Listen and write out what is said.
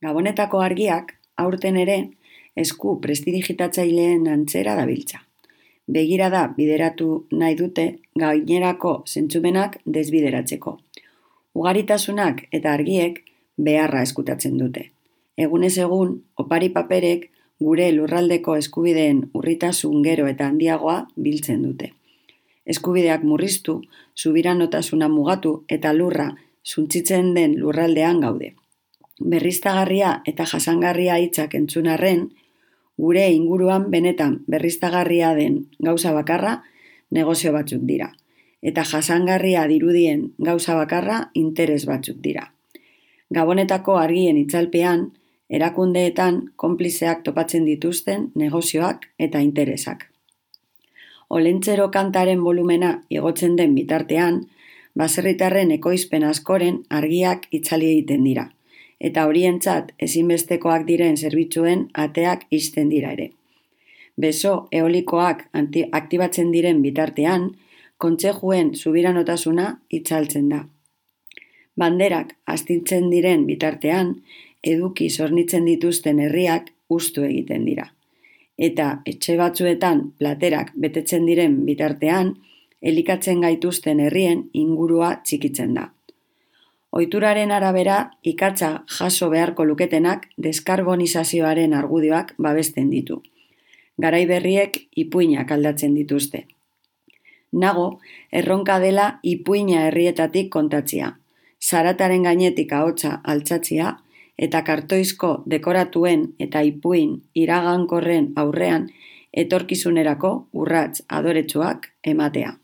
Gabonetako argiak aurten ere esku prestidigitatzaileen antzera dabiltza. Begirada bideratu nahi dute gainerako zentzumenak desbideratzeko. Ugaritasunak eta argiek beharra eskutatzen dute. Egunez egun, opari paperek gure lurraldeko eskubideen urritasun gero eta handiagoa biltzen dute. Eskubideak murriztu, subiranotasuna mugatu eta lurra suntsitzen den lurraldean gaude. Berriztagarria eta jasangarria hitzak entzun arren, gure inguruan benetan berriztagarria den gauza bakarra negozio batzuk dira. Eta jasangarria dirudien gauza bakarra interes batzuk dira. Gabonetako argien itzalpean, erakundeetan konplizeak topatzen dituzten negozioak eta interesak. Olentzero kantaren volumena igotzen den bitartean, baserritarren ekoizpen askoren argiak itzali egiten dira, eta horientzat ezinbestekoak diren zerbitzuen ateak ixten dira ere. Beso eolikoak aktibatzen diren bitartean, kontsejuen subiranotasuna itzaltzen da. Banderak astintzen diren bitartean, eduki zornitzen dituzten herriak hustu egiten dira. Eta etxe batzuetan platerak betetzen diren bitartean, elikatzen gaituzten herrien ingurua txikitzen da. Ohituraren arabera, ikatza jaso beharko luketenak deskarbonizazioaren argudioak babesten ditu. Garai berriek ipuinak aldatzen dituzte. Nago, erronka dela ipuina herrietatik kontatzia, zarataren gainetik ahotsa altzatzia eta kartoizko dekoratuen eta ipuin iragankorren aurrean etorkizunerako urrats adoretsuak ematea.